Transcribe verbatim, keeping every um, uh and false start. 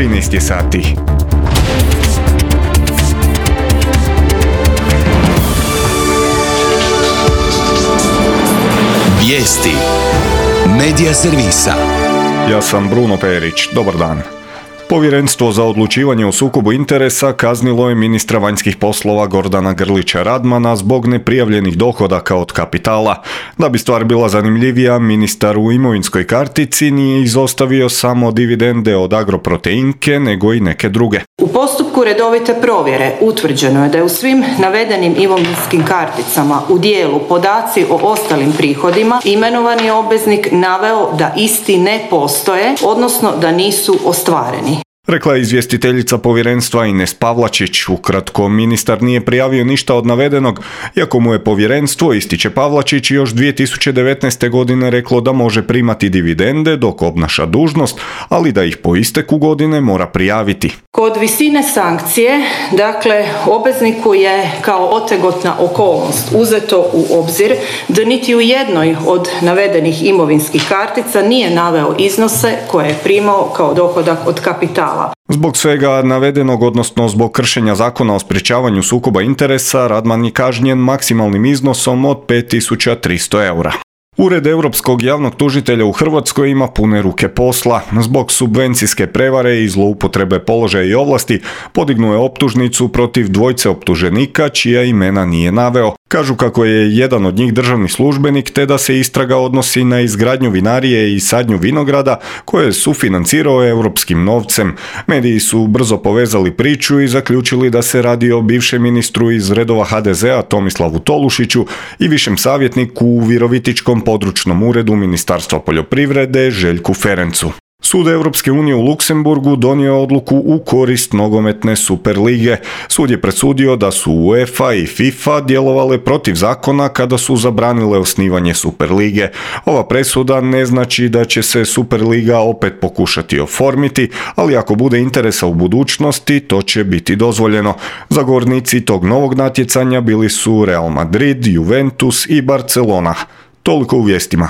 trinaest je sati. Vijesti Medija servisa. Ja sam Bruno Perić. Dobar dan. Povjerenstvo za odlučivanje o sukobu interesa kaznilo je ministra vanjskih poslova Gordana Grlića Radmana zbog neprijavljenih dohodaka od kapitala. Da bi stvar bila zanimljivija, ministar u imovinskoj kartici nije izostavio samo dividende od Agroproteinke, nego i neke druge. U postupku redovite provjere utvrđeno je da je u svim navedenim imovinskim karticama u dijelu podaci o ostalim prihodima imenovani obveznik naveo da isti ne postoje, odnosno da nisu ostvareni. Rekla je izvjestiteljica povjerenstva Ines Pavlačić. Ukratko, ministar nije prijavio ništa od navedenog, iako mu je povjerenstvo, ističe Pavlačić, još dvije tisuće devetnaeste. godine reklo da može primati dividende dok obnaša dužnost, ali da ih po isteku godine mora prijaviti. Kod visine sankcije, dakle, obvezniku je kao otegotna okolnost uzeto u obzir da niti u jednoj od navedenih imovinskih kartica nije naveo iznose koje je primao kao dohodak od kapitala. Zbog svega navedenog, odnosno zbog kršenja zakona o sprječavanju sukoba interesa, Radman je kažnjen maksimalnim iznosom od pet tisuća tristo eura. Ured Europskog javnog tužitelja u Hrvatskoj ima pune ruke posla. Zbog subvencijske prevare i zloupotrebe položaja i ovlasti podignuo je optužnicu protiv dvojce optuženika čija imena nije naveo. Kažu kako je jedan od njih državni službenik te da se istraga odnosi na izgradnju vinarije i sadnju vinograda koje je sufinancirao europskim novcem. Mediji su brzo povezali priču i zaključili da se radi o bivšem ministru iz redova ha de zea Tomislavu Tolušiću i višem savjetniku u Virovitičkom područnom uredu Ministarstva poljoprivrede Željku Ferencu. Sud Europske unije u Luksemburgu donio je odluku u korist nogometne Superlige. Sud je presudio da su UEFA i FIFA djelovale protiv zakona kada su zabranile osnivanje Superlige. Ova presuda ne znači da će se Superliga opet pokušati oformiti, ali ako bude interesa u budućnosti, to će biti dozvoljeno. Zagovornici tog novog natjecanja bili su Real Madrid, Juventus i Barcelona. Toliko u vijestima.